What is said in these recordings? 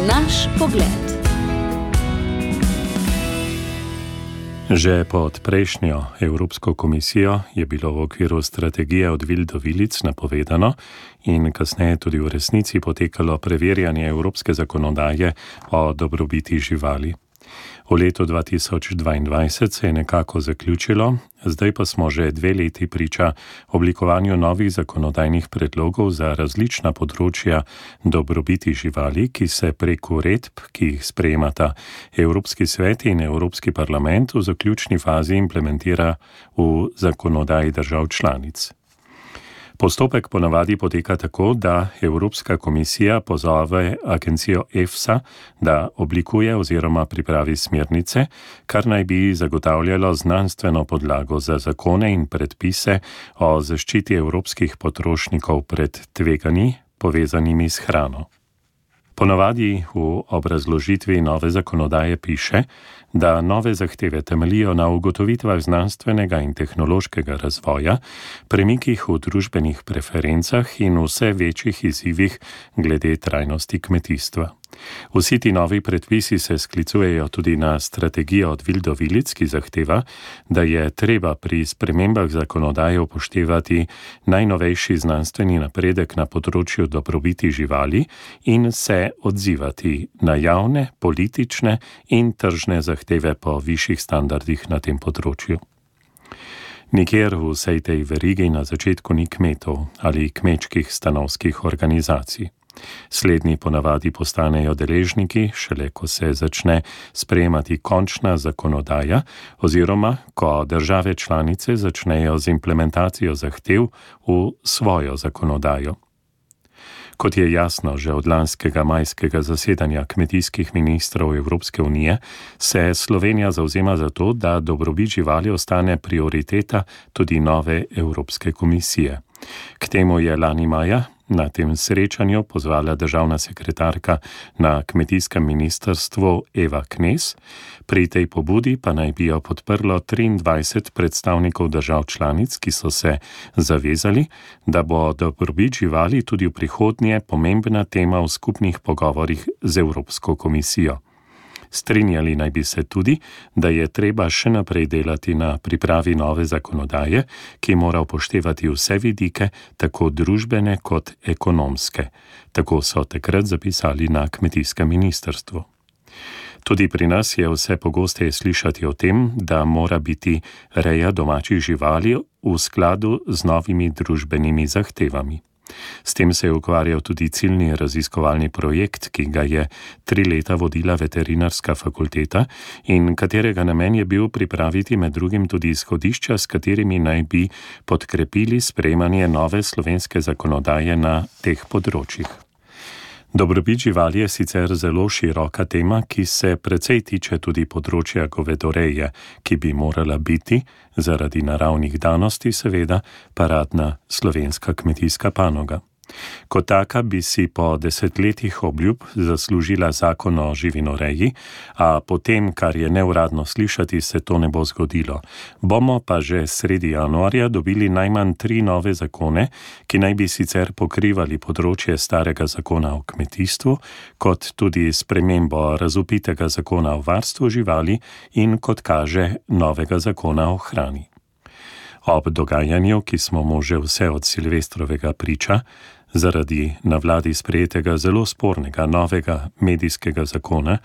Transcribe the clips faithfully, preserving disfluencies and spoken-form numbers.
Naš pogled. Že pod prejšnjo Evropsko komisijo je bilo v okviru strategije od vil do vilic napovedano in kasneje tudi v resnici potekalo preverjanje evropske zakonodaje o dobrobiti živali. V letu dva tisoč dvaindvajset se je nekako zaključilo, zdaj pa smo že dve leti priča oblikovanju novih zakonodajnih predlogov za različna področja dobrobiti živali, ki se prek uredb, ki jih sprejemata Evropski svet in Evropski parlament, v zaključni fazi implementira v zakonodaji držav članic. Postopek ponavadi poteka tako, da Evropska komisija pozove agencijo EFSA, da oblikuje oziroma pripravi smernice, kar naj bi zagotavljalo znanstveno podlago za zakone in predpise o zaščiti evropskih potrošnikov pred tveganji, povezanimi s hrano. Ponavadi v obrazložitvi nove zakonodaje piše, da nove zahteve temeljijo na ugotovitvah znanstvenega in tehnološkega razvoja, premikih v družbenih preferencah in vse večjih izzivih glede trajnosti kmetijstva. Vsi ti novi predpisi se sklicujejo tudi na strategijo od vil do vilic, ki zahteva, da je treba pri spremembah zakonodaje upoštevati najnovejši znanstveni napredek na področju dobrobiti živali in se odzivati na javne, politične in tržne zahteve po višjih standardih na tem področju. Nikjer v vsej tej verigi na začetku ni kmetov ali kmečkih stanovskih organizacij. Slednji ponavadi postanejo deležniki, šele ko se začne sprejemati končna zakonodaja oziroma ko države članice začnejo z implementacijo zahtev v svojo zakonodajo. Kot je jasno že od lanskega majskega zasedanja kmetijskih ministrov Evropske unije, se Slovenija zavzema za to, da dobrobit živali ostane prioriteta tudi nove Evropske komisije. K temu je lani maja na tem srečanju pozvala državna sekretarka na kmetijskem ministrstvu Eva Knez, pri tej pobudi pa naj bi jo podprlo triindvajset predstavnikov držav članic, ki so se zavezali, da bo dobrobit živali tudi v prihodnje pomembna tema v skupnih pogovorih z Evropsko komisijo. Strinjali naj bi se tudi, da je treba še naprej delati na pripravi nove zakonodaje, ki mora upoštevati vse vidike, tako družbene kot ekonomske. Tako so takrat zapisali na kmetijskem ministrstvu. Tudi pri nas je vse pogosteje slišati o tem, da mora biti reja domačih živali v skladu z novimi družbenimi zahtevami. S tem se je ukvarjal tudi ciljni raziskovalni projekt, ki ga je tri leta vodila veterinarska fakulteta in katerega namen je bil pripraviti med drugim tudi izhodišča, s katerimi naj bi podkrepili sprejemanje nove slovenske zakonodaje na teh področjih. Dobrobit živali je sicer zelo široka tema, ki se precej tiče tudi področja govedoreje, ki bi morala biti, zaradi naravnih danosti seveda, paradna slovenska kmetijska panoga. Kot taka bi si po desetletjih obljub zaslužila zakon o živinoreji, a potem, kar je neuradno slišati, se to ne bo zgodilo. Bomo pa že sredi januarja dobili najmanj tri nove zakone, ki naj bi sicer pokrivali področje starega zakona o kmetijstvu, kot tudi spremembo razvpitega zakona o varstvu živali in, kot kaže, novega zakona o hrani. Ob dogajanju, ki smo mu že vse od Silvestrovega priča, zaradi na vladi sprejetega zelo spornega novega medijskega zakona,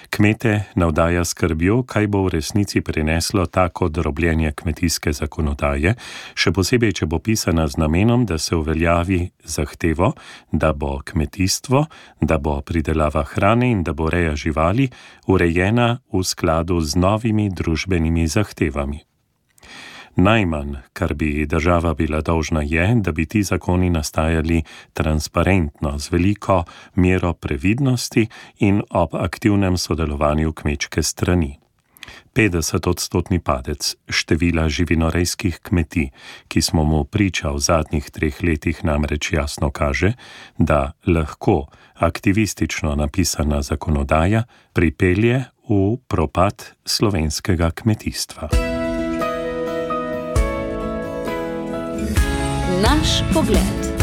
kmete navdaja skrbjo, kaj bo v resnici prineslo tako drobljenje kmetijske zakonodaje, še posebej, če bo pisana z namenom, da se uveljavi zahtevo, da bo kmetijstvo, da bo pridelava hrane in da bo reja živali urejena v skladu z novimi družbenimi zahtevami. Najmanj, kar bi država bila dolžna je, da bi ti zakoni nastajali transparentno, z veliko mero previdnosti in ob aktivnem sodelovanju kmečke strani. petdesetodstotni padec števila živinorejskih kmetij, ki smo mu priča v zadnjih treh letih, namreč jasno kaže, da lahko aktivistično napisana zakonodaja pripelje v propad slovenskega kmetijstva. Naš pogled.